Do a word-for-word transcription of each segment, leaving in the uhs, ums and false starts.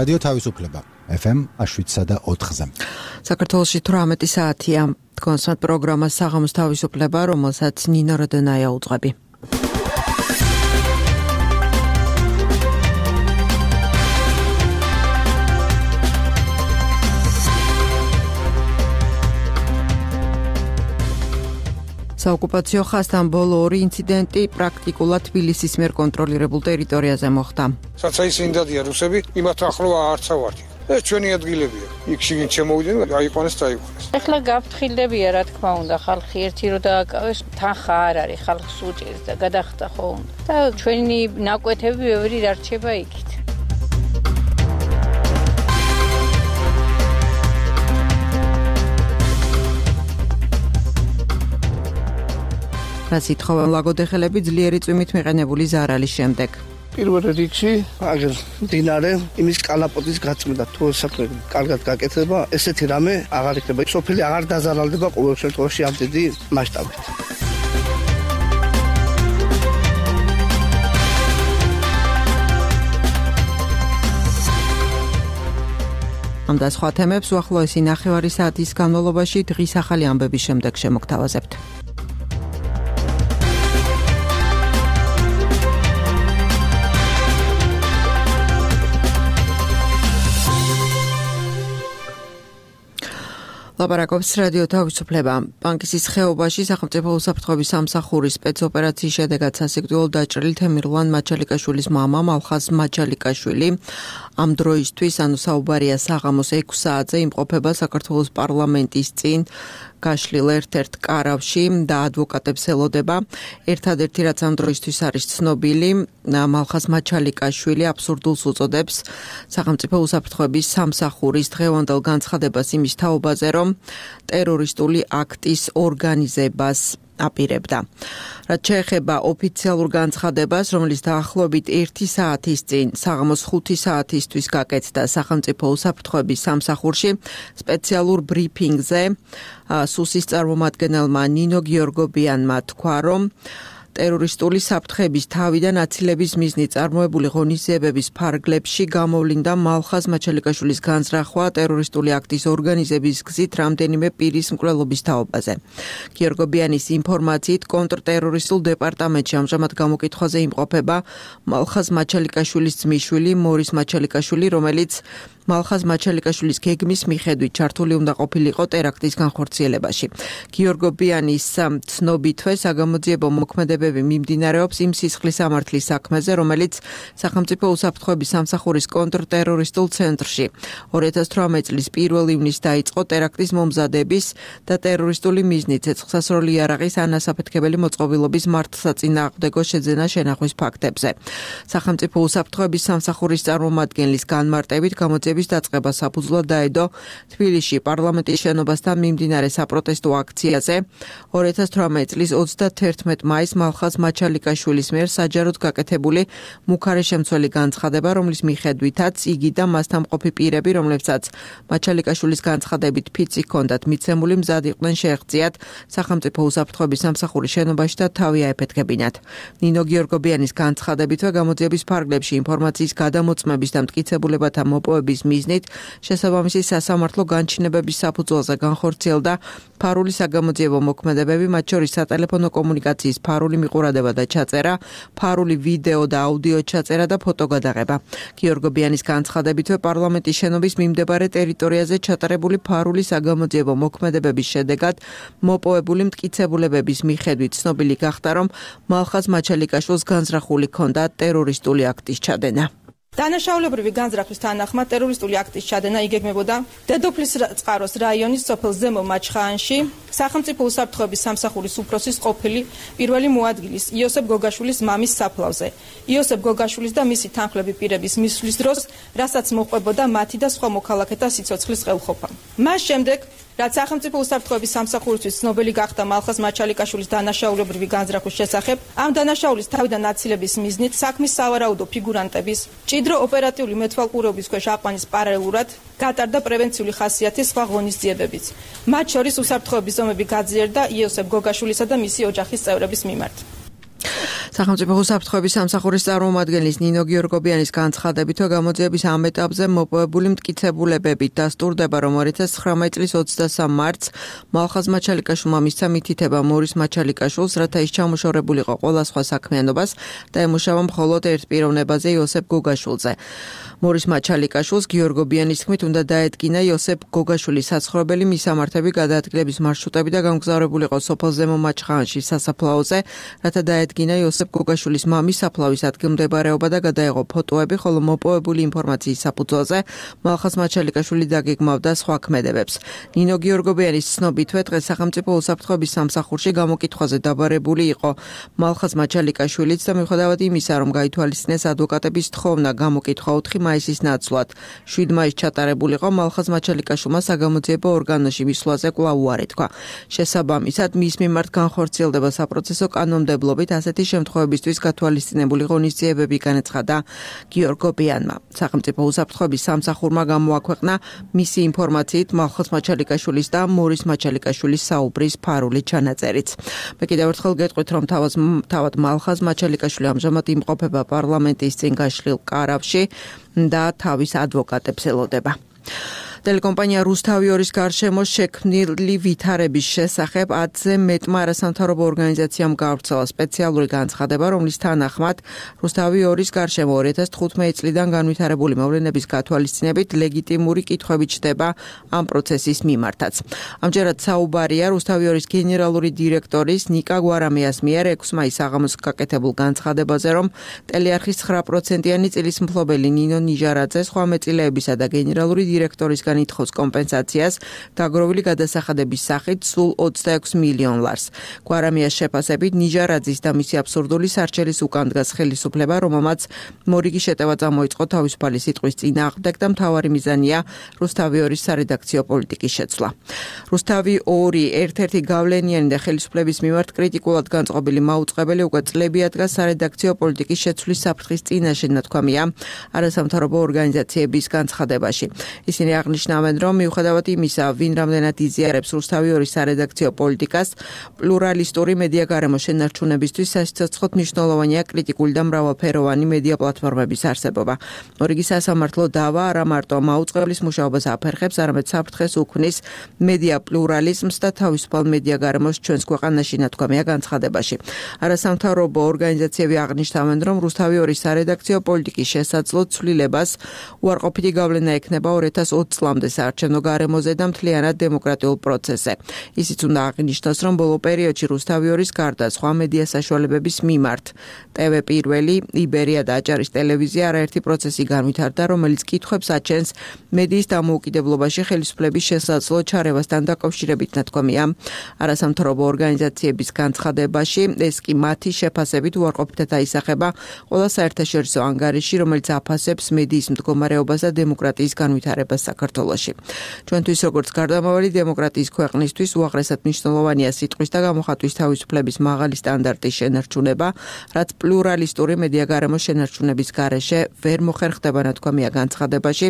რადიო თავისუფლება ეფ ემ შვიდსა და ოთხზე. საქართველოში თვრამეტი საათია. კონსერტ პროგრამა საღამოს თავისუფლება, რომელსაც ნინო როდენაია უძღვები. საოკუპაციო ხაზთან ბოლო ორი ინციდენტი პრაქტიკულად თბილისის მიერ კონტროლირებულ ტერიტორიაზე მოხდა. საცაისინდადია რუსები, იმათ ახლოა არცა ვარდი. ეს ჩვენი ადგილებია. იქ შიგნით შემოვიდნენ, აიყვანეს და აიყვანეს. ეხლა გაფრთხილდებია, რა თქმა უნდა, ხალხი ერთი რო დააკავეს, თანხა არ არის, ხალხს უჭირს და გადახდა ხო უნდა. და ჩვენი ნაკვეთები ბევრი დარჩება იქით. რას ითხოვენ ლაგოდეხელები ძლიერი წვიმით მიყენებული ზარალის შემდეგ. პირველ რიგში აგერ მდინარე იმის კალაპოტის გაწმენდა თუ საქმე კარგად გაკეთება, ესეთი რამე აღარ იქნება. სოფელი აღარ დაზარალდება ყოველ შემთხვევაში ამ დიდი მასშტაბით. ამ და სხვა თემებს უახლოესი ნახევარი საათის განმავლობაში დღის ახალი ამბების შემდეგ შემოგთავაზებთ. ლაპარაკობს რადიო თავისუფლება. ბანკისის ხეობაში სახელმწიფო უსაფრთხოების სამსახურის სპეცოპერაციის შედეგად სასიკვდილოდ დაჭრილი თემირლან მაჩალიკაშვილის მამა მალხაზ მაჩალიკაშვილი ამ დროისთვის, ანუ საუბარია საღამოს ექვს საათზე იმყოფება საქართველოს პარლამენტის წინ გაშლილ ერთ-ერთ კარავში და ადვოკატებს ელოდება. ერთადერთი რაც ამ დროისთვის არის ცნობილი, მალხაზ მაჩალიკაშვილი აბსურდულს უწოდებს სახელმწიფო უსაფრთხოების სამსახურის დღევანდელ განცხადებას იმის თაობაზე, რომ ტერორისტული აქტის ორგანიზებას აპირებდა. რაც შეეხება ოფიციალურ განცხადებას, რომელიც დაახლოებით ერთი საათის წინ საღამოს ხუთი საათისთვის გაკეთდა სახელმწიფო უსაფრთხოების სამსახურში სპეციალურ ბრიფინგზე, სუსის წარმომადგენელმა ნინო გიორგობიანმა თქვა, რომ ტერორისტული საფრთხების თავიდან აცილების მიზნით წარმოებული ღონისძიებების ფარგლებში გამოვლინდა მალხაზ მაჩალიკაშვილის განზრახვა ტერორისტული აქტის ორგანიზების გზით რამდენიმე პირის მკვლელობის თაობაზე. გიორგობიანის ინფორმაციით, კონტრტერორისტულ დეპარტამენტში ამჟამად გამოკითხვაზე იმყოფება მალხაზ მაჩალიკაშვილის ძმისშვილი მორის მაჩალიკაშვილი, რომელიც მალხაზ მაჩალიკაშვილის გეგმის მიხედვით ჩართული უნდა ყოფილიყო ტერაქტის განხორციელებაში. გიორგობიანის ცნობითვე საგამოძიებო მოქმედებები მიმდინარეობს იმ სისხლისამართლის საქმეზე, რომელიც სახელმწიფო უსაფრთხოების სამსახურის კონტრტერორისტულ ცენტრში ორი ათას თვრამეტი წლის პირველ ივნისს დაიწყო ტერაქტის მომზადების და ტერორისტული მიზნით ცეცხლსასროლი იარაღის ანასაფეთქებელი მოწყობილობის მართლსაწინააღმდეგო შეძენა შენახვის ფაქტებზე. სახელმწიფო უსაფრთხოების სამსახურის წარმომადგენლის განმარტებით გამოძიების დაწყება საფუძვლად დაედო თბილისში პარლამენტის შენობასთან მიმდინარე საპროტესტო აქციაზე ორი ათას თვრამეტი წლის ოცდათერთმეტ მაისს მალხაზ მაჩალიკაშვილის მიერ საჯაროდ გაკეთებული მუქარიშემცველი განცხადება, რომლის მიხედვითაც იგი და მასთან მყოფი პირები, რომლებსაც მაჩალიკაშვილის განცხადებით ფიცი ჰქონდათ მიცემული, მზად იყვნენ შეეღწიათ სახელმწიფო უსაფრთხოების სამსახურის შენობაში და თავი აეფეთქებინათ. ნინო გიორგობიანის განცხადებითვე გამოძიების ფარგლებში ინფორმაციის გადამოწმების და მტკიცებულებათა მოპოვების მიზნით შესაბამისი სასამართლო განჩინებების საფუძველზე განხორციელდა ფარული საგამოძიებო მოქმედებები, მათ შორის სატელეფონო კომუნიკაციის ფარული მიყურადება და ჩაწერა, ფარული ვიდეო და აუდიო ჩაწერა და ფოტოგადაღება. გიორგობიანის განცხადებითვე პარლამენტის შენობის მიმდებარე ტერიტორიაზე ჩატარებული ფარული საგამოძიებო მოქმედებების შედეგად მოპოვებული მტკიცებულებების მიხედვით ცნობილი გახდა, რომ მალხაზ მაჩალიკაშვილს განზრახული ჰქონდა ტერორისტული აქტის ჩადენა. დანაშაულებრივი განზრახვის თანახმად ტერორისტული აქტის ჩადენა იგეგმებოდა დედოფლის წყაროს რაიონის სოფელ ზემო მაჩხაანში სახელმწიფო უსაფრთხოების სამსახურის უფროსის ყოფილი პირველი მოადგილის იოსებ გოგაშვილის მამის საფლავზე. იოსებ გოგაშვილის და მისი თანხლები პირების მისვლის დროს, რასაც მოყვებოდა მათი და სხვა მოქალაქეთა სიცოცხლის ხელყოფა. მას შემდეგ რაც სახელმწიფო უსაფრთხოების სამსახურისთვის ცნობილი გახდა მალხაზ მაჩალიკაშვილის დანაშაულებრივი განზრახვის შესახებ, ამ დანაშაულის თავიდან აცილების მიზნით საქმის სავარაუდო ფიგურანტების ჭიდრო ოპერატიული მეთვალყურეობის ქვეშ აყვანის პარალელურად გატარდა პრევენციული ხასიათის სხვა ღონისძიებებიც. მათ შორის უსაფრთხოების ზომები გაძლიერდა იოსებ გოგაშვილისა და მისი ოჯახის წევრების მიმართ. სახელმწიფო უსაფრთხოების სამსახურის წარმომადგენლის ნინო გიორგობიანის განცხადებით, რომ გამოძიების ამ ეტაპზე მოპოვებული მტკიცებულებები დასტურდება, რომ ორი ათას ცხრამეტი წლის ოცდასამ მარტს მალხაზ მაჩალიკაშვილმა მისცა მითითება მორის მაჩალიკაშვილს, რათა ის ჩამოშორებულიყო ყველა სხვა საქმიანობას და ემუშავა მხოლოდ ერთ პიროვნებაზე იოსებ გოგაშვილზე. მორის მაჩალიკაშვილს გიორგობიანის თქმით უნდა დაედგინა იოსებ გოგაშვილის საცხოვრებელი მისამართები, გადაადგილების მარშრუტები და გამგზავრებულიყო სოფელ ზემო მაჩხანში სასაფლაოზე, რათა დაედგინა იოსებ გოგაშვილის მამის საფლავის ადგილმდებარეობა და გადაეღო ფოტოები, ხოლო მოპოვებული ინფორმაციის საფუძველზე მალხაზ მაჩალიკაშვილი დაგეგმავდა სხვა ქმედებებს. ნინო გიორგობიანის ცნობითვე დღეს სახელმწიფო უსაფრთხოების სამსახურში გამოკითხვაზე დაბარებული იყო მალხაზ მაჩალიკაშვილიც და მიუხედავად იმისა, რომ გაითვალისწინეს ადვოკატების თხოვნა გამოკითხვა ოთხი მაისის ნაცვლად, შვიდ მაისს ჩატარებულიყო მალხაზ მაჩალიკაშვილმა საგამოძიებო ორგანოში მისვლაზე კვლავ უარი თქვა. შესაბამისად, მის მიმართ განხორციელდება საპროცესო კანონმდებლობით ასეთი შემთხვევებისთვის გათვალისწინებული ღონისძიებები განაცხადა გიორგობიანმა. სახელმწიფო უსაფრთხოების სამსახურმა გამოაქვეყნა მისი ინფორმაციით მალხაზ მაჩალიკაშვილის და მორის მაჩალიკაშვილის საუბრის ფარული ჩანაწერიც. მე კიდევ ერთხელ გეტყვით, რომ თავად მალხაზ მაჩალიკაშვილი ამჟამად იმყოფება პარლამენტის წინ გაშლილ კარავში და თავის ადვოკატებს ელოდება. ტელეკომპანია რუსთავი ორის გარშემო შექმნილი ვითარების შესახებ ათზე მეტმა არასამთავრობო ორგანიზაციამ გავრცელა სპეციალური განცხადება, რომლის თანახმად რუსთავი ორის გარშემო ორი ათას თხუთმეტი წლიდან განვითარებული მოვლენების გათვალისწინებით ლეგიტიმური კითხვები ჩდება ამ პროცესის მიმართაც. ამჯერად საუბარია რუსთავი ორის გენერალური დირექტორის ნიკა გვარამიას მიერ ექვსი მაისს საღამოს გაკეთებულ განცხადებაზე, რომ ტელეარხის ცხრა პროცენტიანი წილის მფლობელი ნინო ნიჟარაძე სხვა მეწილეებისა და გენერალური დირექტორის ითხოვს კომპენსაციას დაგროვილი გადასახადების სახით სულ ოცდაექვსი მილიონ ლარს. გვარამიას შეფასებით ნიჟარაძის და მისი აბსურდული სარჩელის უკან დგას ხელისუფლება, რომელმაც მორიგი შეტევა წამოიწყო თავისუფალი სიტყვის წინააღმდეგ და მთავარი მიზანია რუსთავი ორის სარედაქციო პოლიტიკის შეცვლა. რუსთავი ორი ერთ-ერთი გავლენიანი და ხელისუფლების მიმართ კრიტიკულად განწყობილი მაუწყებელი უკვე წლები ადგას სარედაქციო პოლიტიკის შეცვლის საფრთხის წინაშე, ნათქვამია არასამთავრობო ორგანიზაციების განცხადებაში. ისინი აღნიშნავენ, რომ მიუხედავად იმისა, ვინ რამდენად იზიარებს რუსთავი ორის სარედაქციო პოლიტიკას, პლურალისტური მედია გარემო შენარჩუნებისთვის სასიცოცხლოდ მნიშვნელოვანია კრიტიკული და მრავალფეროვანი მედია პლატფორმების არსებობა. მორიგი სასამართლო დავა არა მარტო მაუწყებლის მუშაობას აფერხებს, არამედ საფრთხეს უქმნის მედია პლურალიზმს და თავისუფალ მედია გარემოს ჩვენს ქვეყანაში, ნათქვამია განცხადებაში. არასამთავრობო ორგანიზაციები აღნიშნავენ, რომ რუსთავი ორის სარედაქციო პოლიტიკის შესაძლო ცვლილებას უარყოფითი გავლენა ექნება ორი ათას ოცი წლამდე საარჩევნო გარემოზე და მთლიანად დემოკრატიულ პროცესზე. ისიც უნდა აღნიშნოს, რომ ბოლო პერიოდში რუსთავი ორის გარდა სხვა მედია საშუალებების მიმართ ტევ პირველი, იბერია და აჭარის ტელევიზია არაერთი პროცესი განვითარდა, რომელიც კითხვებს აჩენს მედიის დამოუკიდებლობაში ხელისუფლების შესაძლო ჩარევასთან დაკავშირებით, ნათქვამია არასამთავრობო ორგანიზაციების განცხადებაში. ეს კი მათი შეფასებით უარყოფითად აისახება ყველა საერთაშორისო ანგარიში, რომელიც აფასებს მედიის მდგომარეობას და დემოკრატიის განვითარებას საქართველოში. ჩვენთვის როგორც გარდამავალი დემოკრატიის ქვეყნისთვის უაღრესად მნიშვნელოვანია სიტყვის და გამოხატვის თავისუფლების მაღალი სტანდარტის შენარჩუნება, რაც პლურალისტური მედია გარემოს შენარჩუნების გარეშე ვერ მოხერხდება, ნათქვამია განცხადებაში,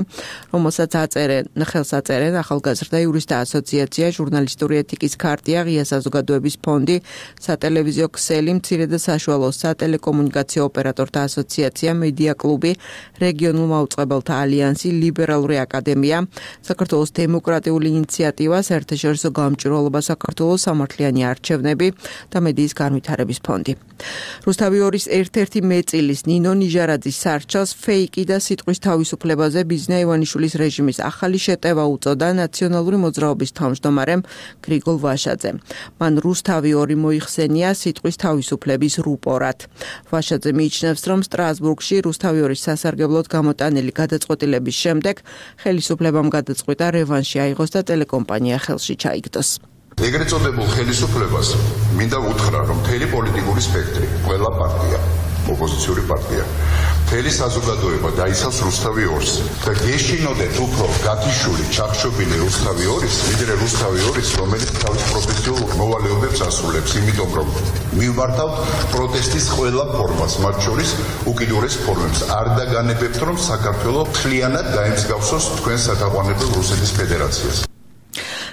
რომელსაც აწერენ ხელს აწერენ ახალგაზრდა იურისტთა ასოციაცია, ჟურნალისტური ეთიკის ქარტია, ღია საზოგადოების ფონდი, სატელევიზიო ქსელი, მცირე და საშუალო სატელეკომუნიკაციო ოპერატორთა ასოციაცია, მედია კლუბი, რეგიონულ მაუწყებელთა ალიანსი, ლიბერალური აკადემია, საქართველოს დემოკრატიული ინიციატივა, საერთაშორისო გამჭვირვალობა საქართველოს, სამართლიანი არჩევნები და მედიის განვითარების ფონდი. რუსთავი ორის ერთ-ერთი მეწილის ნინო ნიჟარაძის სარჩელს ფეიკი და სიტყვის თავისუფლებაზე ბიზნა ივანიშვილის რეჟიმის ახალი შეტევა უწოდა ნაციონალური მოძრაობის თავმჯდომარემ გრიგოლ ვაშაძემ. მან რუსთავი ორი მოიხსენია სიტყვის თავისუფლების რუპორად. ვაშაძე მიიჩნევს, რომ სტრასბურგში რუსთავი ორის სასარგებლოდ გამოტანილი გადაწყვეტილების შემდეგ ხელისუფლებამ გადაწყვიტა რევანში აიღოს და ტელეკომპანია ხელში ჩაიგდოს. ეგრეთ წოდებულ ხელისუფლებას მინდა უთხრა, რომ მთელი პოლიტიკური სპექტრი, ყველა პარტია, ოპოზიციური პარტია, მთელი საზოგადოება დაიცავს რუსთავი ორს და გეშინოდეთ უფრო გათიშული, ჩახშობილი რუსთავი ორის, ვიდრე რუსთავი ორის, რომელიც თავის პროფესიულ მოვალეობებს ასრულებს, იმიტომ რომ მივმართავთ პროტესტის ყველა ფორმას, მათ შორის უკიდურეს ფორმებს. არ დაგანებებთ, რომ საქართველო მთლიანად დაემსგავსოს თქვენ სათაყვანებელ რუსეთის ფედერაციას.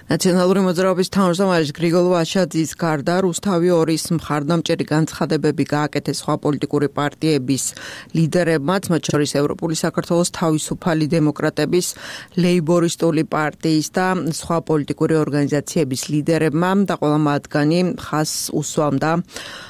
ნაციონალური მოძრაობის თავმჯდომარის გრიგოლ ვაშაძის გარდა რუსთავი ორის მხარდამჭერი განცხადებები გააკეთეს სხვა პოლიტიკური პარტიების ლიდერებმაც, მათ შორის ევროპული საქართველოს თავისუფალი დემოკრატების, ლეიბორისტული პარტიის და სხვა პოლიტიკური ორგანიზაციების ლიდერებმა და ყველა მათგანი ხაზს უსვამდა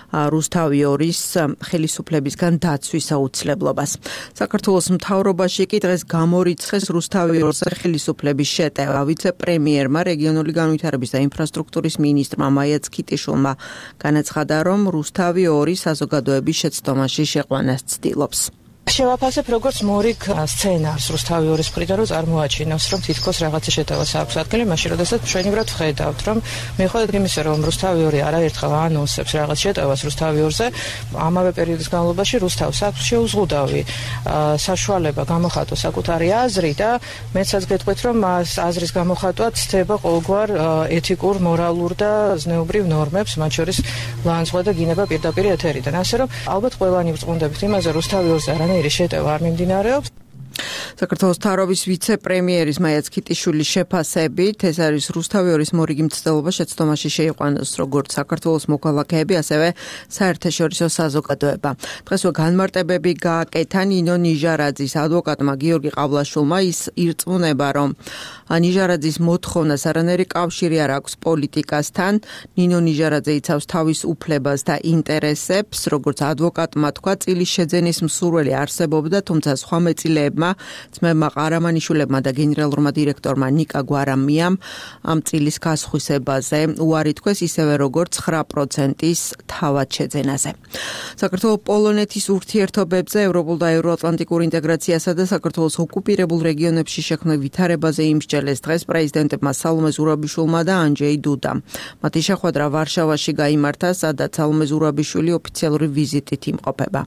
რუსთავი ორის ხელისუფლებისგან დაცვის აუცილებლობას. საქართველოს მთავრობაში კი დღეს გამორიცხეს რუსთავი ორზე ხელისუფლების შეტევა. ვიცე-პრემიერმა, რეგიონული განვითარების და ინფრასტრუქტურის მინისტრმა მაია ცქიტიშვილმა განაცხადა, რომ რუსთავი ორი საზოგადოების შეცდომაში შეყვანას ცდილობს. შევაფასებ როგორც მორიგ სცენარს რუსთავი ორის მხრიდან, რომ წარმოაჩინოს, რომ თითქოს რაღაცა შეტევას აქვს ადგილი, მაშინ როდესაც ჩვენივრად ვხედავთ, რომ მიუხედავად იმისა, რომ რუსთავი ორი არაერთხელ ანონსებს რაღაც შეტევას რუსთავი ორზე, ამავე პერიოდის განმავლობაში რუსთავს აქვს შეუზღუდავი საშუალება გამოხატოს საკუთარი აზრი და მეცაც გეტყვით, რომ აზრის გამოხატვა ცდება ყოველგვარ ეთიკურ, მორალურ და ზნეობრივ ნორმებს, მათ შორის ლანძღვა და გინება პირდაპირ ეთერიდან. ასე რომ ალბათ ყველანი ვწმუნდებით იმაზე, რუსთავი ორზე არანაირი შეტევა არ მიმდინარეობს. საქართველოს მთავრობის ვიცე-პრემიერის მაია ცქიტიშვილის შეფასებით, ეს არის რუსთავი ორის მორიგი მცდელობა შეცდომაში შეიყვანოს როგორც საქართველოს მოქალაქეები, ასევე საერთაშორისო საზოგადოება. დღესვე განმარტებები გააკეთა ნინო ნიჟარაძის ადვოკატმა გიორგი ყავლაშვილმა. ის ირწმუნება, რომ ნიჟარაძის მოთხოვნას არანაირი კავშირი არ აქვს პოლიტიკასთან. ნინო ნიჟარაძე იცავს თავის უფლებას და ინტერესებს, როგორც ადვოკატმა თქვა, წილის შეძენის მსურველი არსებობდა, თუმცა სხვა მეწილეებმა ძმებმა ყარამანიშვილებმა და გენერალურმა დირექტორმა ნიკა გვარამიამ ამ წილის გასხვისებაზე უარი თქვეს, ისევე როგორც ცხრა პროცენტის თავად შეძენაზე. საქართველოს პოლონეთის ურთიერთობებზე, ევროპულ და ევროატლანტიკურ ინტეგრაციასა და საქართველოს ოკუპირებულ რეგიონებში შექმნილ ვითარებაზე იმსჯელეს დღეს პრეზიდენტებმა სალომე ზურაბიშვილმა და ანჯეი დუდამ. მათი შეხვედრა ვარშავაში გაიმართა, სადაც სალომე ზურაბიშვილი ოფიციალური ვიზიტით იმყოფება.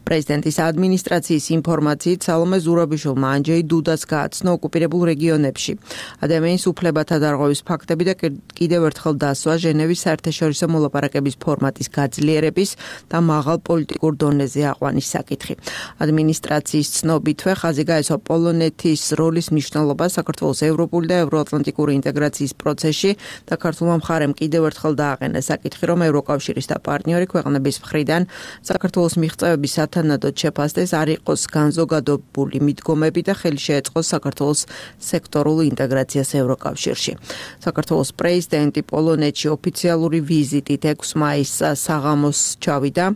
პრეზიდენტის ადმინისტრაციის ინფორმაციით სალომე ზურაბიშვილმა ანჯეი დუდას გააცნო ოკუპირებულ რეგიონებში ადამიანის უფლებათა დარღვევის ფაქტები და კიდევ ერთხელ დასვა ჟენევის საერთაშორისო მოლაპარაკების ფორმატის გაძლიერების და მაღალ პოლიტიკურ დონეზე აყვანის საკითხი. ადმინისტრაციის ცნობითვე ხაზი გაესვა პოლონეთის როლის მნიშვნელობა საქართველოს ევროპული და ევროატლანტიკური ინტეგრაციის პროცესში და ქართულმა მხარემ კიდევ ერთხელ დააყენა საკითხი, რომ ევროკავშირის და პარტნიორი ქვეყნების მხრიდან საქართველოს მიღწევების სათანადოდ შეფასდეს, არ იყოს განზოგადებული მიდგომები და ხელი შეეწყოს საქართველოს სექტორულ ინტეგრაციას ევროკავშირში. საქართველოს პრეზიდენტი პოლონეთში ოფიციალური ვიზიტით ექვსი მაისს საღამოს ჩავიდა.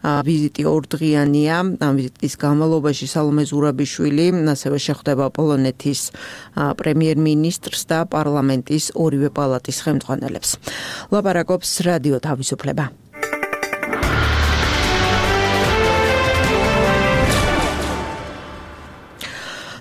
ვიზიტი ორდღიანია. ამ ვიზიტის განმავლობაში სალომე ზურაბიშვილი ასევე შეხვდება პოლონეთის პრემიერ-მინისტრს და პარლამენტის ორივე პალატის ხელმძღვანელებს. ლაპარაკობს რადიო თავისუფლება.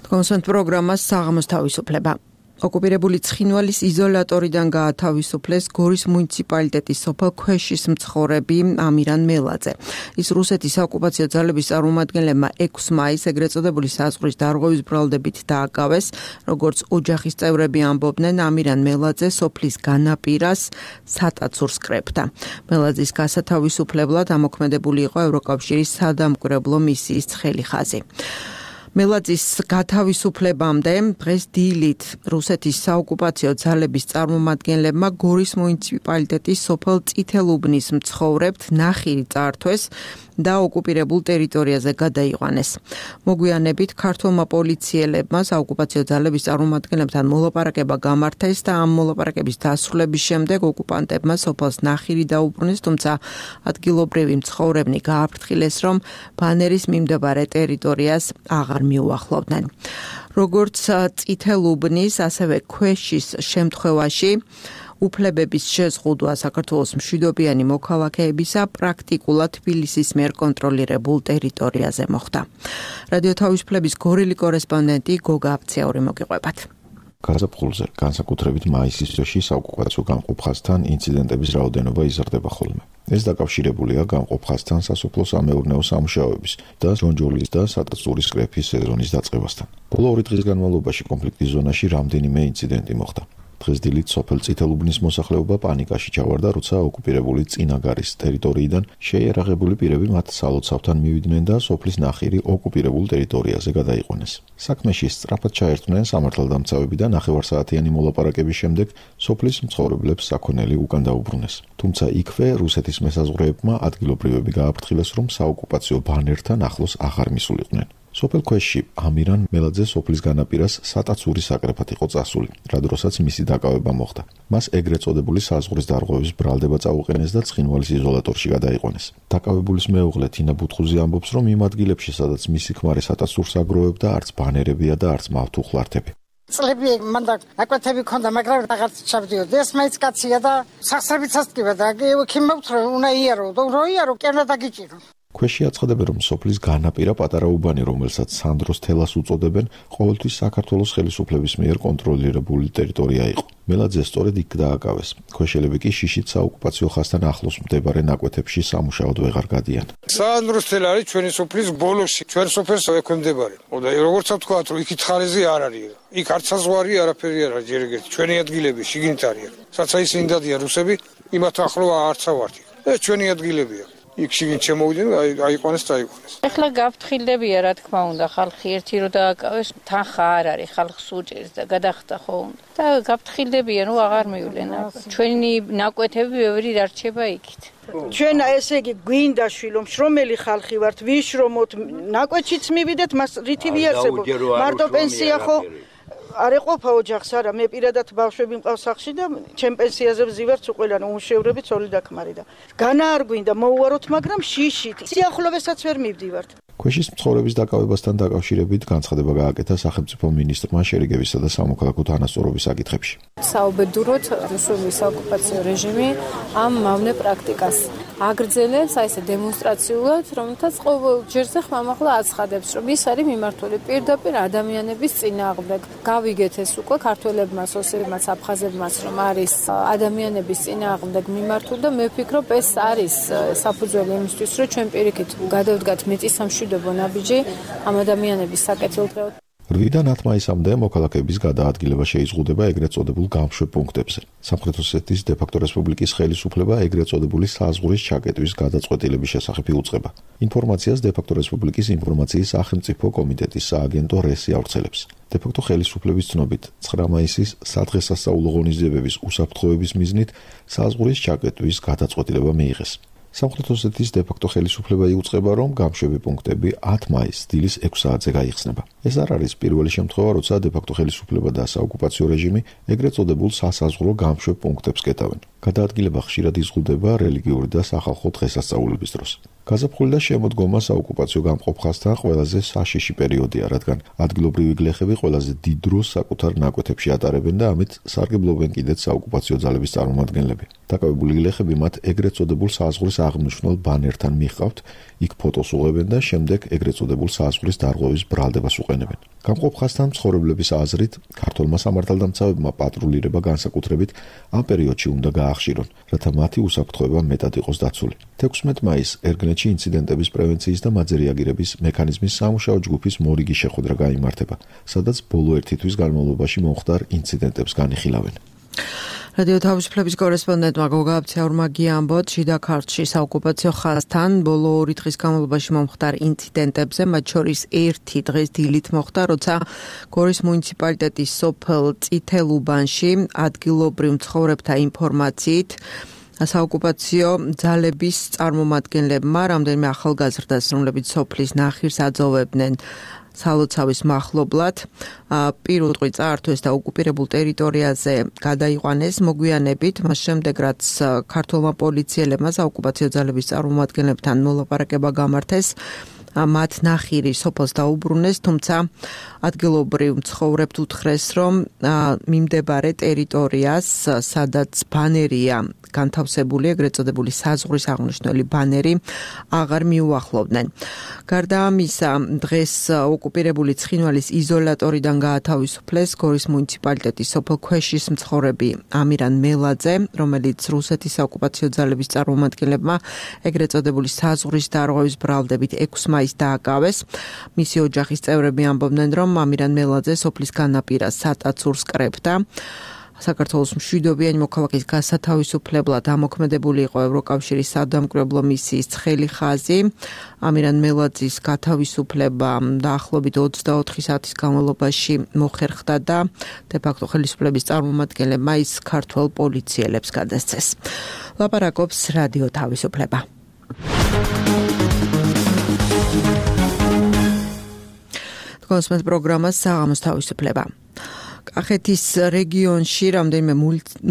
კონსერტ პროგრამას საღამოს თავისუფლება. ოკუპირებული ცხინვალის იზოლატორიდან გაათავისუფლეს გორის მუნიციპალიტეტის სოფელ ქვეშის მცხოვრები ამირან მელაძე. ის რუსეთის საოკუპაციო ძალების წარმომადგენლებმა ექვსი მაისს ეგრეთ წოდებული საზღვრის დარღვევის ბრალდებით დააკავეს. როგორც ოჯახის წევრები ამბობდნენ, ამირან მელაძე სოფლის განაპირას სატაცურს კრებდა. მელაძის გასათავისუფლებლად ამოქმედებული იყო ევროკავშირის სადამკვირვებლო მისიის ცხელი ხაზი. მელაძის გათავისუფლებამდე დღეს დილით რუსეთის საოკუპაციო ძალების წარმომადგენლებმა გორის მუნიციპალიტეტის სოფელ წითელუბნის მცხოვრებთ ნახირი წართვეს და ოკუპირებულ ტერიტორიაზე გადაიყვანეს. მოგვიანებით ქართულმა პოლიციელებმა საოკუპაციო ძალების წარმომადგენლებთან მოლაპარაკება გამართეს და ამ მოლაპარაკების დასრულების შემდეგ ოკუპანტებმა სოფელს ნახირი დაუბრუნეს, თუმცა ადგილობრივი მცხოვრებნი გააფრთხილეს, რომ ბანერის მიმდებარე ტერიტორიას აღარ მიუახლოვდნენ. როგორც წითელუბნის, ასევე ქვეშის შემთხვევაში უფლებების შეზღუდვა საქართველოს მშვიდობიანი მოქალაქეებისა პრაქტიკულად თბილისის მიერ კონტროლირებულ ტერიტორიაზე მოხდა. რადიო თავისუფლების გორილი კორესპონდენტი გოგა აფციაური მოგიყვებათ. გაზაფხულზე, განსაკუთრებით მაისის თვეში საოკუპაციო გამყოფ ხაზთან ინციდენტების რაოდენობა იზრდება ხოლმე. ეს დაკავშირებულია გამყოფ ხაზთან სასოფლო-სამეურნეო სამუშაოების და ჯონჯოლის და სატაცურის კრეფის სეზონის დაწყებასთან. ბოლო ორი დღის განმავლობაში კონფლიქტის ზონაში რამდენიმე ინციდენტი მოხდა. დღეს დილით სოფელ წითელუბნის მოსახლეობა პანიკაში ჩავარდა, როცა ოკუპირებული წინაგარის ტერიტორიიდან შეიარაღებული პირები მათ სალოცავთან მივიდნენ და სოფლის ნახირი ოკუპირებულ ტერიტორიაზე გადაიყვანეს. საქმეში სწრაფად ჩაერთვნენ სამართალდამცავები და ნახევარსაათიანი მოლაპარაკების შემდეგ სოფლის მცხოვრებლებს საქონელი უკან დაუბრუნეს. თუმცა იქვე რუსეთის მესაზღვრეებმა ადგილობრივები გააფრთხილეს, რომ საოკუპაციო ბანერთან ახლოს აღარ მისულიყვნენ. სოფელ ქვეშში ამირან მელაძე სოფლის განაპირას სატაცური საკრეფად იყო წასული, რა დროსაც მისი დაკავება მოხდა. მას ეგრეთ წოდებული საზღვრის დარღვევის ბრალდება წაუყენეს და ცხინვალის იზოლატორში გადაიყვანეს. დაკავებულის მეუღლე თინა ბუთხუზი ამბობს, რომ იმ ადგილებში, სადაც მისი ქმარი სატაცურს აგროვებდა, არც ბანერებია და არც მავთუხლართები. წლები მანდა აკვეთები ქონდა, მაგრამ რაღაც ჩავდიოდი. ეს მაინც კაცია და სახსრებით ასტკივა და ქიმობთ რომ უნდა იარო, რო იარო კენა დაგიჭირო. ქვეშში აცხადებენ, რომ სოფლის განაპირა პატარა უბანი, რომელსაც სანდროს თელას უწოდებენ, ყოველთვის საქართველოს ხელისუფლების მიერ კონტროლირებული ტერიტორია იყო. მელაძე სწორედ იქ დააკავეს. ქვეშელები კი შიშით საოკუპაციო ხაზთან ახლოს მდებარე ნაკვეთებში სამუშაოდ ვეღარ გადიან. სანდროს თელა არის ჩვენი სოფლის ბოლოში, ჩვენ სოფელს ექვემდებარება. და როგორც ვთქვა, რომ იქით ხარეზე არ არის. იქ არც საზღვარი არაფერი არ არის, ჯერ ეგეთი ჩვენი ადგილები შიგნით არის. საცა ისინი დადიან რუსები, იმათ ახლო არცა ვართ. ეს ჩვენი ადგილებია. იქ შიგნით შემოვიდნენ, აიყვანეს და აიყვანეს. ეხლა გაფრთხილდებია, რა თქმა უნდა, ხალხი ერთი რო დააკავეს, თანხა არ არის, ხალხს უჭერს და გადახდა ხო უნდა. და გაფრთხილდებია, რომ აღარ მივლენ. ჩვენი ნაკვეთები ბევრი დარჩება იქით. ჩვენ ესე იგი გვინდა შვილო, შრომელი ხალხი ვართ, ვიშრომოთ, ნაკვეთშიც მივიდეთ, მას რითი ვიარსებოთ. მარტო პენსია ხო არ ეყოფა ოჯახს, არა, მე პირადად ბავშვები მყავს სახლში და ჩემ პენსიაზე ვზივართ უყველან უმშევრები ცოლი და ქმარი და განა არ გვინდა მოვუაროთ, მაგრამ შიშით სიახლოვესაც ვერ მივდივართ. ქვეშის მცხოვრების დაკავებასთან დაკავშირებით განცხადება გააკეთა სახელმწიფო მინისტრმა შერიგებისა და სამოქალაქო თანასწორობის საკითხებში. საუბედუროთ რუსული საოკუპაციო რეჟიმი ამ მავნე პრაქტიკას აგრძელებს, აი ესე დემონსტრაციულად, რომელთაც ყოველ ჯერზე ხმამაღლა აცხადებს, რომ ის არის მიმართული პირდაპირ ადამიანების წინააღმდეგ. გავიგეთ ეს უკვე ქართველებმაც, ოსებმაც, აფხაზებმაც, რომ არის ადამიანების წინააღმდეგ მიმართული და მე ვფიქრობ, ეს არის საფუძველი იმისთვის, რომ ჩვენ პირიქით გადავდგათ მიწის სამშვიდობო ნაბიჯი ამ ადამიანების საკეთილდღეოდ. რვიდან ათ მაისამდე მოქალაქეების გადაადგილება შეიზღუდება ეგრეთ წოდებულ გამშვებ პუნქტებზე. სამხრეთ ოსეთის დე-ფაქტო რესპუბლიკის ხელისუფლება ეგრეთ წოდებული საზღვრის ჩაკეტვის გადაწყვეტილების შესახებ იუწყება. ინფორმაციას დე-ფაქტო რესპუბლიკის ინფორმაციის სახელმწიფო კომიტეტის სააგენტო რესი ავრცელებს. დე-ფაქტო ხელისუფლების ცნობით, ცხრა მაისის სადღესასწაულო ღონისძიებების უსაფრთხოების მიზნით საზღვრის ჩაკეტვის გადაწყვეტილება მიიღეს. სამხრეთ ოსეთის დე-ფაქტო ხელისუფლება იუწყება, რომ გამშვები პუნქტები ათ მაისს დილის ექვს საათზე გაიხსნება. ეს არ არის პირველი შემთხვევა, როცა დე-ფაქტო ხელისუფლება და საოკუპაციო რეჟიმი ეგრეთ წოდებულ სასაზღვრო გამშვებ პუნქტებს კეტავენ. გადაადგილება ხშირად იზღუდება რელიგიური და სახალხო დღესასწაულების დროს. გაზაფხული და შემოდგომა საოკუპაციო გამყოფ ხაზთან ყველაზე საშიში პერიოდია, რადგან ადგილობრივი გლეხები ყველაზე დიდ დროს საკუთარ ნაკვეთებში ატარებენ და ამით სარგებლობენ კიდეც საოკუპაციო ძალების წარმომადგენლები. დაკავებული გლეხები მათ ეგრეთ წოდებულ საზღვრის აღნიშნულ ბანერთან მიჰყავთ, იქ ფოტოს უღებენ და შემდეგ ეგრეთ წოდებულ საზღვრის დარღვევის ბრალდებას უყენებენ. გამყოფ ხაზთან მცხოვრებლების აზრით, ქართველმა სამართალდამცავებმა პატრულირება განსაკუთრებით ამ პერიოდში უნდა გაახშირონ, რათა მათი უსაფრთხოება მეტად იყოს დაცული. თექვსმეტ მაისს ერგნეთში ინციდენტების პრევენციის და მათზე რეაგირების მექანიზმის სამუშაო ჯგუფის მორიგი შეხვედრა გაიმართება, სადაც ბოლო ერთი თვის განმავლობაში მომხდარ ინციდენტებს განიხილავენ. რადიო თავისუფლების კორესპონდენტმა გოგა აბციაურმა გიამბოთ, შიდა ქართლში საოკუპაციო ხაზთან ბოლო ორი დღის განმავლობაში მომხდარ ინციდენტებზე, მათ შორის ერთი დღეს დილით მოხდა, როცა გორის მუნიციპალიტეტის სოფელ წითელუბანში ადგილობრივ მცხოვრებთა ინფორმაციით საოკუპაციო ძალების წარმომადგენლებმა რამდენიმე ახალგაზრდას, რომლებიც სოფლის ნახირს აძოვებდნენ სალოცავის მახლობლად, პირუტყვი წაართვეს და ოკუპირებულ ტერიტორიაზე გადაიყვანეს მოგვიანებით, მას შემდეგ რაც ქართულმა პოლიციელებმა საოკუპაციო ძალების წარმომადგენლებთან მოლაპარაკება გამართეს, მათ ნახირი სოფელს დაუბრუნეს, თუმცა ადგილობრივ მცხოვრებთ უთხრეს, რომ მიმდებარე ტერიტორიას, სადაც ბანერია განთავსებული, ეგრეთ წოდებული საზღვრის აღნიშნული ბანერი, აღარ მიუახლოვდნენ. გარდა ამისა, დღეს ოკუპირებული ცხინვალის იზოლატორიდან გაათავისუფლეს გორის მუნიციპალიტეტის სოფელ ქვეშის მცხოვრები ამირან მელაძე, რომელიც რუსეთის საოკუპაციო ძალების წარმომადგენლებმა ეგრეთ წოდებული საზღვრის დარღვევის ბრალდებით ექვს მაისს დააკავეს. მისი ოჯახის წევრები ამბობდნენ, რომ ამირან მელაძე სოფლის განაპირას სატაცურს კრებდა. საქართველოს მშვიდობიანი მოქალაქის გასათავისუფლებლად ამოქმედებული იყო ევროკავშირის სადამკვირვებლო მისიის ცხელი ხაზი. ამირან მელაძის გათავისუფლება დაახლოებით ოცდაოთხი საათის განმავლობაში მოხერხდა და დე-ფაქტო ხელისუფლების წარმომადგენლებმა ის ქართველ პოლიციელებს გადასცეს. ლაპარაკობს რადიო თავისუფლება. კონსმეთ პროგრამა საღამოს თავისუფლება. კახეთის რეგიონში რამდენიმე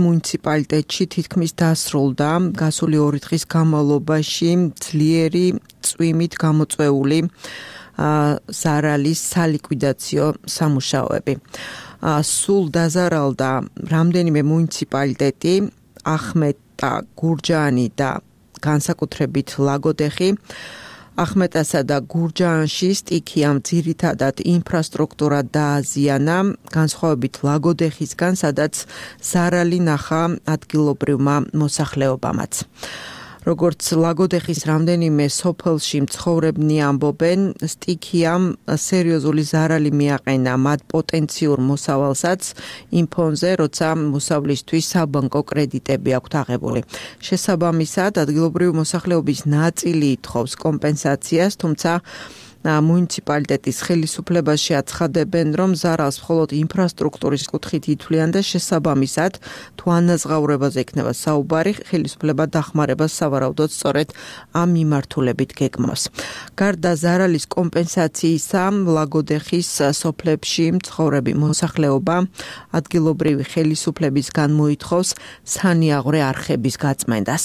მუნიციპალიტეტში თითქმის დასრულდა გასული ორი დღის განმავლობაში ძლიერი წვიმით გამოწვეული ზარალის სალიკვიდაციო სამუშაოები. სულ დაზარალდა რამდენიმე მუნიციპალიტეტი, ახმეტა, გურჯაანი და განსაკუთრებით ლაგოდეხი. ახმეტასა და გურჯაანში სტიქიამ ძირითადად ინფრასტრუქტურა დააზიანა, განსხვავებით ლაგოდეხისგან, სადაც ზარალი ნახა ადგილობრივმა მოსახლეობამაც. როგორც ლაგოდეხის რამდენიმე სოფელში მცხოვრებნი ამბობენ, სტიქიამ სერიოზული ზარალი მიაყენა მათ პოტენციურ მოსავალსაც იმ ფონზე, როცა მოსავლისთვის საბანკო კრედიტები აქვთ აღებული. შესაბამისად, ადგილობრივი მოსახლეობის ნაწილი ითხოვს კომპენსაციას, თუმცა მუნიციპალიტეტის ხელისუფლებაში აცხადებენ, რომ ზარალს მხოლოდ ინფრასტრუქტურის კუთხით ითვლიან და შესაბამისად, თუ ანაზღაურებაზე იქნება საუბარი, ხელისუფლება დახმარებას სავარაუდოდ სწორედ ამ მიმართულებით გეგმავს. გარდა ზარალის კომპენსაციისა, ლაგოდეხის სოფლებში მცხოვრები მოსახლეობა ადგილობრივი ხელისუფლებისგან მოითხოვს სანიაღვრე არხების გაწმენდას.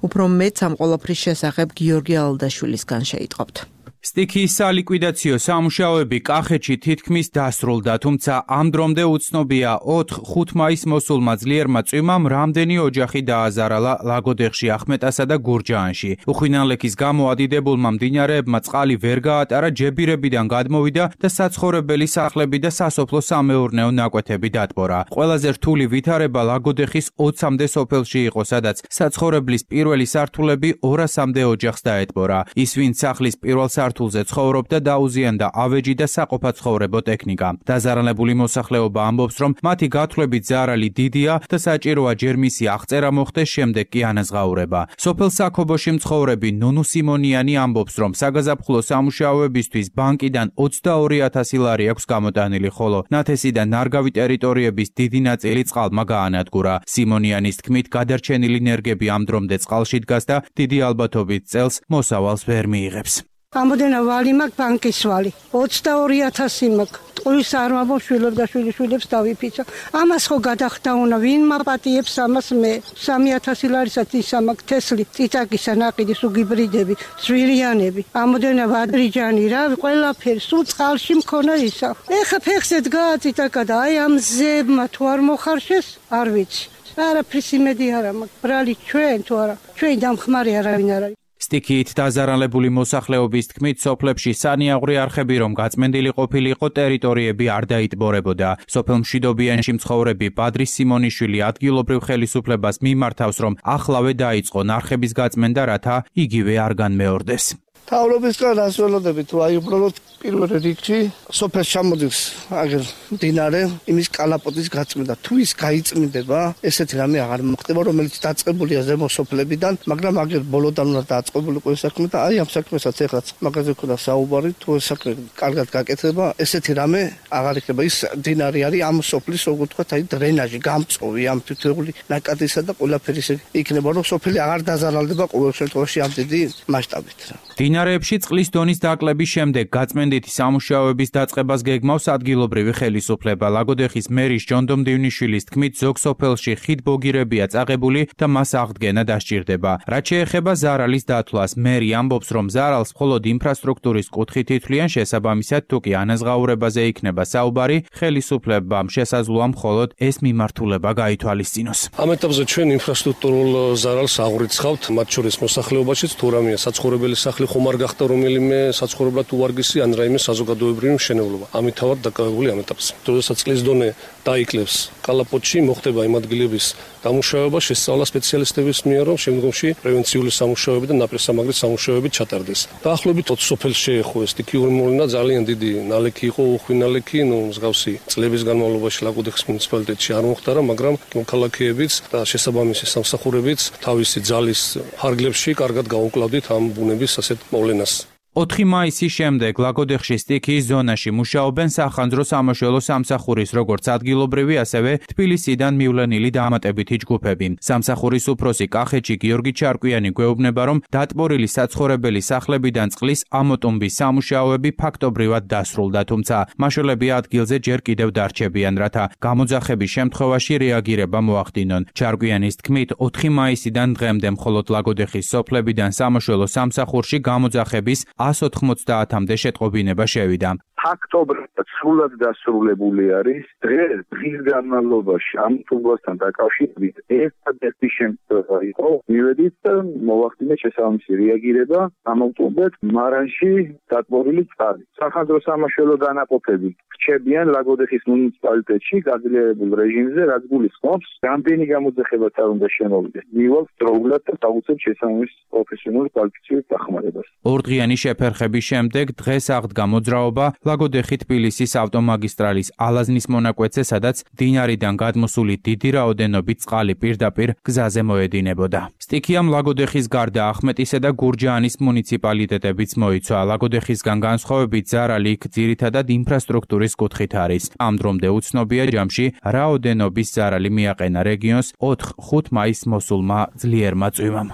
უფრო მეტ ამ ყოველფრის შესახებ გიორგი ალდაშვილისგან შეიტყობთ. სტიქიის სალიკვიდაციო სამუშაოები კახეთში თითქმის დასრულდა, თუმცა ამ დრომდე უცნობია ოთხ-ხუთ მაისს მოსულმა ძლიერმა წვიმამ რამდენი ოჯახი დააზარალა ლაგოდეხში, ახმეტასა და გურჯაანში. უხვინანლექის გამო ადიდებულმა მდინარეებმა წყალი ვერ გაატარა, ჯებირებიდან გადმოვიდა და საცხოვრებელი სახლები და სასოფლო-სამეურნეო ნაკვეთები დატბორა. ყველაზე რთული ვითარება ლაგოდეხის ოცამდე სოფელში იყო, სადაც საცხოვრებლის პირველი სართულები ორასამდე ოჯახს დაეტბორა. ის, ვინც სახლის პირველ სართულზე ცხოვრობდა, დაუზიანდა ავეჯი და საყოფაცხოვრებო ტექნიკა. დაზარალებული მოსახლეობა ამბობს, რომ მათი გათვლებით ზარალი დიდია და საჭიროა ჯერ მისი აღწერა მოხდეს, შემდეგ კი ანაზღაურება. სოფელ საქობოში მცხოვრები ნუნუ სიმონიანი ამბობს, რომ საგაზაფხულო სამუშაოებისთვის ბანკიდან ოცდაორი ათასი ლარი აქვს გამოტანილი, ხოლო ნათესი და ნარგავი ტერიტორიების დიდი ნაწილი წყალმა გაანადგურა. სიმონიანის თქმით, გადარჩენილი ნერგები ამ დრომდე წყალში დგას და დიდი ალბათობით წელს მოსავალს ვერ მიიღებს. ამოდენა ვალი მაქვს, ბანკის ვალი. ოცდაორი ათასი მაქვს. ტყუის არ ვამბობ, შვილებს და შვილიშვილებს დავიფიცა. ამას ხო გადახდაუნა, ვინ მაპატიებს ამას მე? სამი ათასი ლარისაც ისა მაქვს თესლი, წიწაკისა ნაყიდი, სუგიბრიდები, ძვირიანები. ამოდენა ვადრიჯანი რა, ყველაფერი, სულ წყალში მქონა ისა. ეხა ფეხზე დგაა წიწაკა და აი ამ ზებმა თუ არ მოხარშეს, არ ვიცი. არაფრის იმედი არა მაქვს. ბრალი ჩვენ თუ არა, ჩვენ დამხმარე არავინ არ არის. სტიქიით დაზარალებული მოსახლეობის თქმით, სოფლებში სანიაღვრე არხები რომ გაწმენდილი ყოფილიყო, ტერიტორიები არ დაიტბორებოდა. სოფელ მშვიდობიანში მცხოვრები ბადრი სიმონიშვილი ადგილობრივ ხელისუფლებას მიმართავს, რომ ახლავე დაიწყო არხების გაწმენდა, რათა იგივე არ განმეორდეს. თავრობისგან ასველოდები თუ აი უბრალოდ პირველ რიგში სოფელს ჩამოდის აგერ მდინარე, იმის კალაპოტის გაწმენდა. თუ ის გაიწმინდება, ესეთი რამე აღარ მოხდება, რომელიც დაწყებულია ზემო სოფლებიდან, მაგრამ აგერ ბოლოდან უნდა დაწყებულიყო ეს საქმე და აი ამ საქმესაც ეხლაც მაგაზე ქონდა საუბარი, თუ ეს საქმე კარგად გაკეთდება, ესეთი რამე აღარ იქნება. ის მდინარე არის ამ სოფლის, როგორ ვთქვათ, აი დრენაჟი, გამწოვი, ამ თითოეული ნაკადისა და ყველაფერი იქნება, რომ სოფელი აღარ დაზარალდება ყოველ შემთხვევაში ამ დიდი მასშტაბით. მდინარეებში წყლის დონის დაკლების შემდეგ გაწმენდითი სამუშაოების დაწყებას გეგმავს ადგილობრივი ხელისუფლება. ლაგოდეხის მერის ჯონდო მდივნიშვილის თქმით, ზოგ სოფელში ხიდ ბოგირებია წაღებული და მას აღდგენა დასჭირდება. რაც შეეხება ზარალის დათვლას, მერი ამბობს, რომ ზარალს მხოლოდ ინფრასტრუქტურის კუთხით ითვლიან, შესაბამისად, თუ კი ანაზღაურებაზე იქნება საუბარი, ხელისუფლებამ შესაძლოა მხოლოდ ეს მიმართულება გაითვალისწინოს. ამ ეტაპზე ჩვენ ინფრასტრუქტურულ ზარალს აღვრიცხავთ, მათ შორის მოსახლეობაშიც თუ რამეა საცხოვრებელი სახლი ხომ არ გახდა რომელიმე საცხოვრებლად უვარგისი ან რაიმე საზოგადოებრივი მშენებლობა. ამით თავად დაკავებული ამ ეტაპზე. როდესაც წყლის დონე დაიკლებს კალაპოტში, მოხდება იმ ადგილების დამუშავება, შესწავლა სპეციალისტების მიერ, რომ შემდგომში პრევენციული სამუშაოები და ნაპირსამაგრის სამუშაოები ჩატარდეს. დაახლოებით ოცი სოფელს შეეხო ეს სტიქიური მოვლენა, ძალიან დიდი ნალექი იყო, უხვი ნალექი, ნუ მსგავსი წლების განმავლობაში ლაგოდეხის მუნიციპალიტეტში არ მოხდარა, მაგრამ მოქალაქეებიც და შესაბამისი სამსახურებიც თავისი ძალის ფარგლებში კარგად გაუკლავდით ამ ბუნების ასეთ მოვლენას. ოთხი მაისის შემდეგ ლაგოდეხში სტიქიის ზონაში მუშაობენ სახანძრო სამაშველო სამსახურის როგორც ადგილობრივი, ასევე თბილისიდან მივლენილი დამატებითი ჯგუფები. სამსახურის უფროსი კახეთში გიორგი ჩარკვიანი გვეუბნება, რომ დატბორილი საცხოვრებელი სახლებიდან წყლის ამოტუმბის სამუშაოები ფაქტობრივად დასრულდა, თუმცა მაშველები ადგილზე ჯერ კიდევ დარჩებიან, რათა გამოძახების შემთხვევაში რეაგირება მოახდინონ. ჩარკვიანის თქმით, ოთხი მაისიდან დღემდე მხოლოდ ლაგოდეხის სოფლებიდან სამაშველო სამსახურში გამოძახების ას ოთხმოცდაათამდე შეტყობინება შევიდა. ფაქტობრივად სრულად დასრულებული არის. დღეს დღის განმავლობაში ამ თუმბასთან დაკავშირებით ერთადერთი შემთხვევა იყო, მივედით და მოვახდინეთ შესაბამისი რეაგირება ამავდროულად მარანში დატბორილი წყალი. სახანძრო სამაშველო დანაყოფები რჩებიან ლაგოდეხის მუნიციპალიტეტში გაძლიერებულ რეჟიმზე, რაც გულისხმობს, რამდენი გამოძახებაც არ უნდა შემოვიდეს. მივალ დროულად და დავუწევთ შესაბამის პროფესიონალურ კვალიფიცირებულ დახმარებას. ორდღიანი შეფერხების შემდეგ დღეს აღდგა მოძრაობა ლაგოდეხი თბილისის ავტომაგისტრალის ალაზნის მონაკვეთზე, სადაც მდინარიდან გადმოსული დიდი რაოდენობით წყალი პირდაპირ გზაზე მოედინებოდა. სტიქიამ ლაგოდეხის გარდა ახმეტისა და გურჯაანის მუნიციპალიტეტებიც მოიცვა. ლაგოდეხისგან განსხვავებით ზარალი იქ ძირითადად ინფრასტრუქტურის კუთხით არის. ამ დრომდე უცნობია ჯამში რაოდენობის ზარალი მიაყენა რეგიონს ოთხ-ხუთ მაისს მოსულმა ძლიერმა წვიმამ.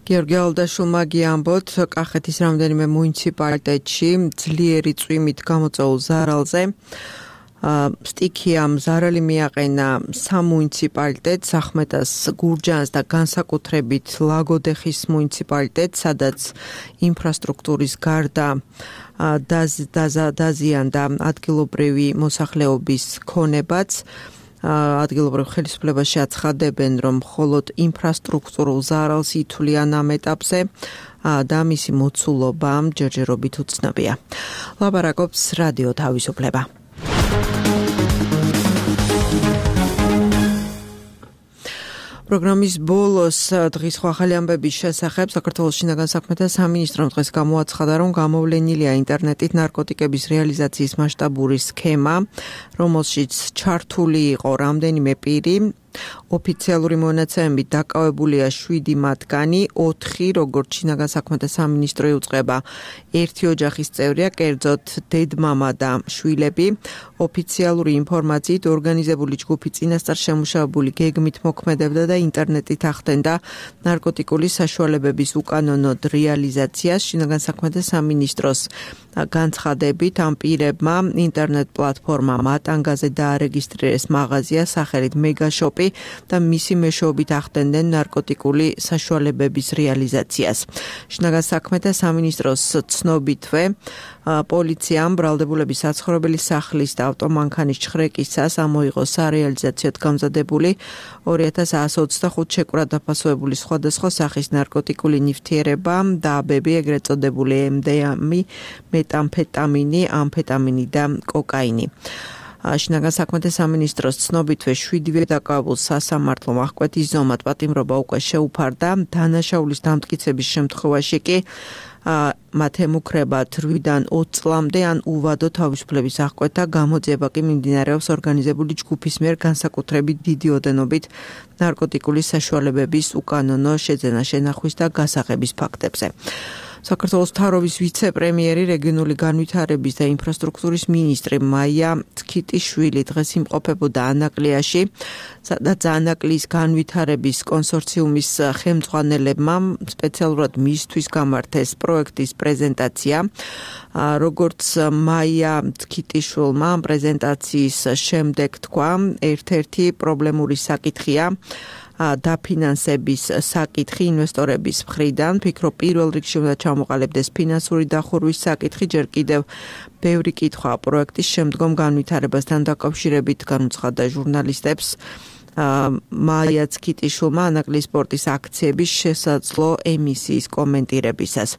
გიორგი ალდაშულმა გიამბოთ, კახეთის რამდენიმე მუნიციპალიტეტში ძლიერი წვიმით გამოწვეულ ზარალზე სტიქიამ ზარალი მიაყენა სამ მუნიციპალიტეტს, ახმეტას, გურჯაანს და განსაკუთრებით ლაგოდეხის მუნიციპალიტეტს, სადაც ინფრასტრუქტურის გარდა დაზიანდა ადგილობრივი მოსახლეობის ქონებაც. ადგილობრივ ხელისუფლებაში აცხადებენ, რომ მხოლოდ ინფრასტრუქტურულ ზარალს ითვლიან ამ ეტაპზე და მისი მოცულობა ჯერჯერობით უცნობია. ლაპარაკობს რადიო თავისუფლება. პროგრამის ბოლოს დღის ახალი ამბების შესახებ საქართველოს შინაგან საქმეთა სამინისტრომ დღეს გამოაცხადა, რომ გამოვლენილია ინტერნეტით ნარკოტიკების რეალიზაციის მასშტაბური სქემა, რომელშიც ჩართული იყო რამდენიმე პირი. ოფიციალური მონაცემებით დაკავებულია შვიდი მათგანი, ოთხი, როგორც შინაგან საქმეთა სამინისტრო იუწყება, ერთი ოჯახის წევრია, კერძოდ დედმამა და შვილები. ოფიციალური ინფორმაციით ორგანიზებული ჯგუფი წინასწარ შემუშავებული გეგმით მოქმედებდა და ინტერნეტით ახდენდა ნარკოტიკული საშუალებების უკანონოდ რეალიზაციას. შინაგან საქმეთა სამინისტროს განცხადებით ამ პირებმა ინტერნეტ პლატფორმა მატანგაზე დაარეგისტრირეს მაღაზია სახელით მეგაშოპი და მისი მეშვეობით ახდენდნენ ნარკოტიკული საშუალებების რეალიზაციას. შინაგან საქმეთა სამინისტროს ცნობითვე პოლიციამ ბრალდებულების საცხოვრებელი სახლის და ავტომანქანის ჩხრეკისას ამოიღო სარეალიზაციოდ გამზადებული ორი ათას εκατομμი ოცდახუთ შეკვრად დაფასებული სხვადასხვა სახის ნარკოტიკული ნივთიერება და აბები, ეგრეთ წოდებული ემ დი ემი, მეტამფეტამინი, ამფეტამინი და კოკაინი. შინაგან საქმეთა სამინისტროს ცნობითვე შვიდივე დაკავებულ სასამართლო აღკვეთის ზომად პატიმრობა უკვე შეუფარდა. დანაშაულის დამტკიცების შემთხვევაში კი მათ ემუქრებათ რვიდან ოცი წლამდე ან უვადო თავისუფლების აღკვეთა, გამოძიება კი მიმდინარეობს ორგანიზებული ჯგუფის მიერ განსაკუთრებით დიდი ოდენობით ნარკოტიკული საშუალებების უკანონო შეძენა-შენახვის და გასაღების ფაქტებზე. საქართველოს მთავრობის ვიცე-პრემიერი, რეგიონული განვითარების და ინფრასტრუქტურის მინისტრი მაია თქიტიშვილი დღეს იმყოფებოდა ანაკლიაში, სადაც ანაკლის განვითარების კონსორციუმის ხელმძღვანელებმა სპეციალურად მისთვის გამართეს პროექტის პრეზენტაცია. როგორც მაია თქიტიშვილმა პრეზენტაციის შემდეგ თქვა, ერთ-ერთი პრობლემური საკითხია დაფინანსების საკითხი ინვესტორების მხრიდან. ფიქრობ, პირველ რიგში უნდა ჩამოყალიბდეს ფინანსური დახურვის საკითხი, ჯერ კიდევ ბევრი კითხვა პროექტის შემდგომ განვითარებასთან დაკავშირებით განუცხადა ჟურნალისტებს. მაია ცქიტიშვილმა ანაკლის სპორტის აქციების შესაძლო ემისიის კომენტირებისას.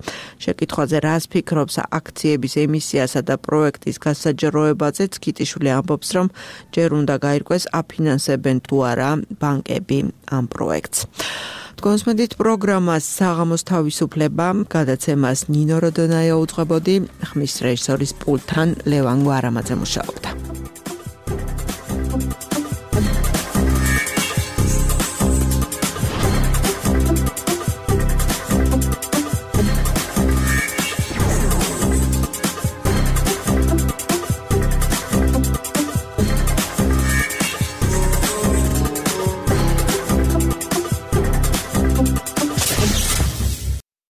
შეკითხვაზე რას ფიქრობს აქციების ემისიასა და პროექტის გასაჯაროებაზე ცქიტიშვილი ამბობს, რომ ჯერ უნდა გაირკვეს აფინანსებენ თუ არა ბანკები ამ პროექტს. კონსმედით პროგრამას საღამოს თავისუფლება გადაცემას ნინო როდონაია უძღვებოდი, ხმის რეჟისორის პულტთან ლევან გვარამაძე მუშაობდა.